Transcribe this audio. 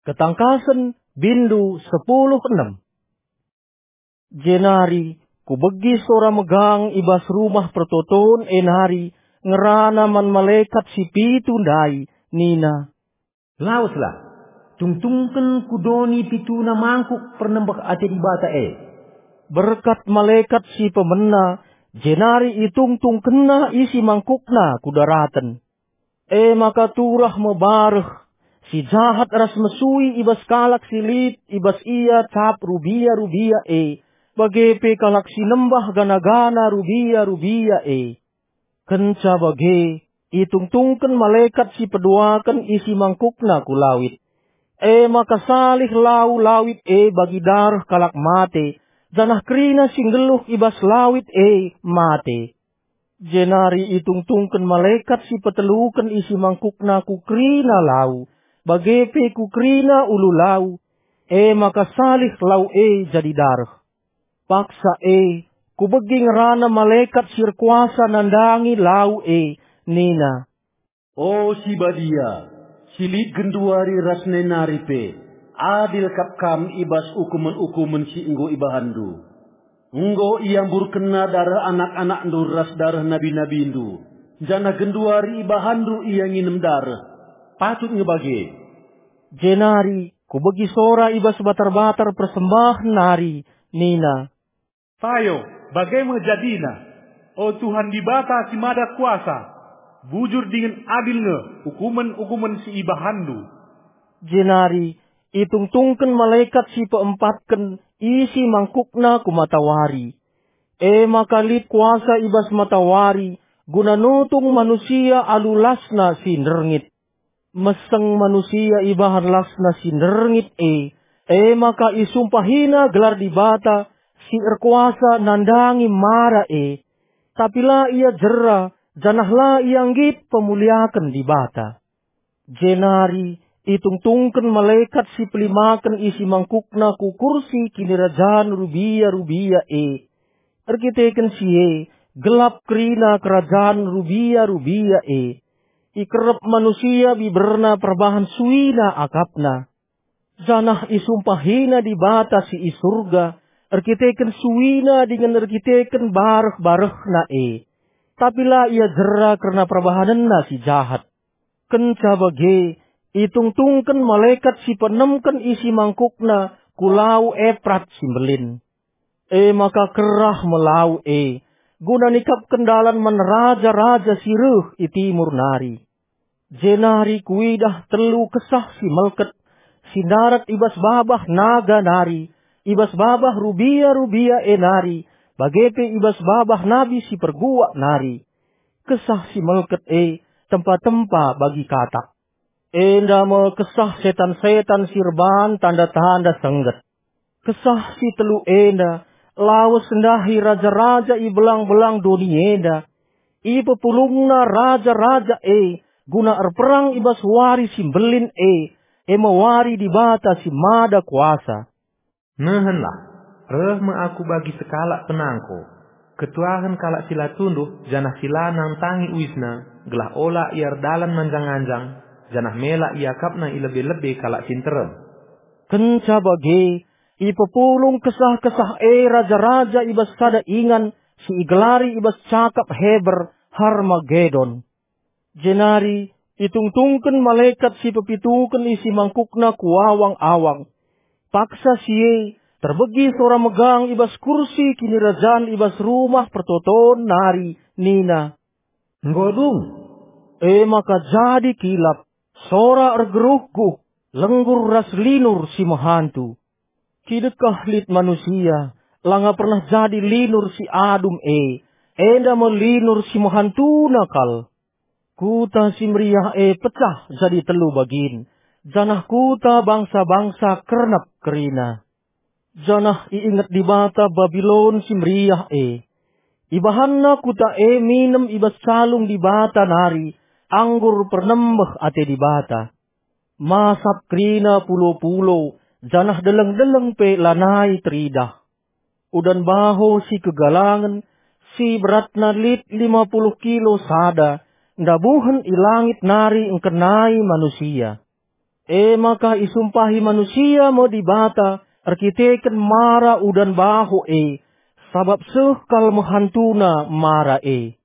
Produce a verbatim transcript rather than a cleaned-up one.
Ketangkasen, bindu sepuluh enem. Jenari kubegi sora megang i bas rumah pertoton e nari ngerana man malekat si pitu ndai, nina, "Laweslah, tungtungken ku doni pituna mangkuk pernembeh ate Dibata e." Berkat malekat si pemena, jenari itungtungkenna isi mangkukna ku daraten. E maka turah me bareh, si jahat ras mesui i bas kalak si lit i bas ia cap rubia-rubia e, bage pe kalak si nembah gana-gana rubia-rubia e. Kenca bage, itungtungken malekat si peduaken isi mangkukna ku lawit. E maka salih lau lawit e bagi dareh kalak mate, janah kerina si nggeluh i bas lawit e mate. Jenari itungtungken malekat si peteluken isi mangkukna ku kerina lau, bage pe ku kerina ulu lau, e maka salih lau e jadi dareh. Paksa e, kubegi ngerana malekat si erkuasa nandangi lau e, nina, "O si Badia, si lit genduari ras nai nari pe, adil kap Kam i bas ukumen-ukumen si enggo ibahanndu. Enggo iamburkenna dareh anak-anakndu ras dareh nabi-nabindu, janah genduari ibahanndu ia nginem dareh. Patut nge bage." Jenari kubegi sora i bas batar-batar persembahen nari, nina, "Payo, bage me jadina, o Tuhan Dibata si Mada Kuasa, bujur dingen adil nge ukumen-ukumen si ibahanndu." Jenari itungtungken malekat si peempatken isi mangkukna ku matawari. E maka lit kuasa i bas matawari guna nutung manusia alu lasna si nderngit. Meseng manusia ibahan lasna si nderngit e, e maka isumpahina gelar Dibata si erkuasa nandangi mara e. Tapi la ia jera, janah la ia nggit pemuliaken Dibata. Jenari itungtungken malekat si pelimaken isi mangkukna ku kursi kinirajan rubia-rubia e. Erkiteken si e, gelap kerina kerajan rubia-rubia e. Ikerep manusia biberna perbahan suina akapna. Janah isumpahina Dibata si i Surga, erkiteken suina dingen erkiteken bareh-barehna e. Tapi la ia jera kerna perbahanenna si jahat. Kenca bage, itungtungken malekat si penemken isi mangkukna ku lau Eprat si mbelin. E maka kerah me lau e, guna nikapken dalan man raja-raja si reh i timur nari. Jenari kuidah telu kesah si melket, si ndarat i bas babah naga nari, i bas babah rubia-rubia e nari, bage pe i bas babah nabi si perguak nari. Kesah si melket e tempa-tempa bagi katak. Enda me kesah setan-setan si erban tanda-tanda sengget. Kesah si telu enda lawes ndahi raja-raja i belang-belang doni enda. Ipepulungna raja-raja e guna erperang i bas wari si mbelin e, e me wari Dibata si Mada Kuasa. Nehenlah, reh me aku bagi sekalak penangko, ketuahen kalak si la tunduh janah si la nantangi uisna, gelah ola ia erdalan manjang-anjang, janah mela iakapna i lebe-lebe kalak si nterem. Kenca bage, ipepulung kesah-kesah e raja-raja i bas sada ingan si igelari i bas cakap Heber Harmagedon. Jenari itungtungken malekat si pepituken isi mangkukna ku awang-awang. Paksa si e, terbegi sora megang i bas kursi kinirajan i bas rumah pertoton nari, nina, "Enggo dung!" E maka jadi kilap, sora ergeruhguh, lenggur ras linur si mehantu. Kidekah lit manusia, langa pernah jadi linur si adum e, enda me linur si mehantuna kal. Kuta si meriah e pecah jadi telu bagin, janah kuta bangsa-bangsa kernep kerina. Janah iinget Dibata Babilon si meriah e. Ibahanna kuta e minem i bas calung Dibata nari, anggur pernembeh ate Dibata. Masap kerina pulo-pulo, janah deleng-deleng pe lanai teridah. Udan baho si kegalangen, si beratna lit lima puluh kilo sada, ndabuhen i langit nari engkenai manusia. E maka isumpahi manusia me Dibata erkiteken mara udan baho e, sabap seh kal me hantuna mara e.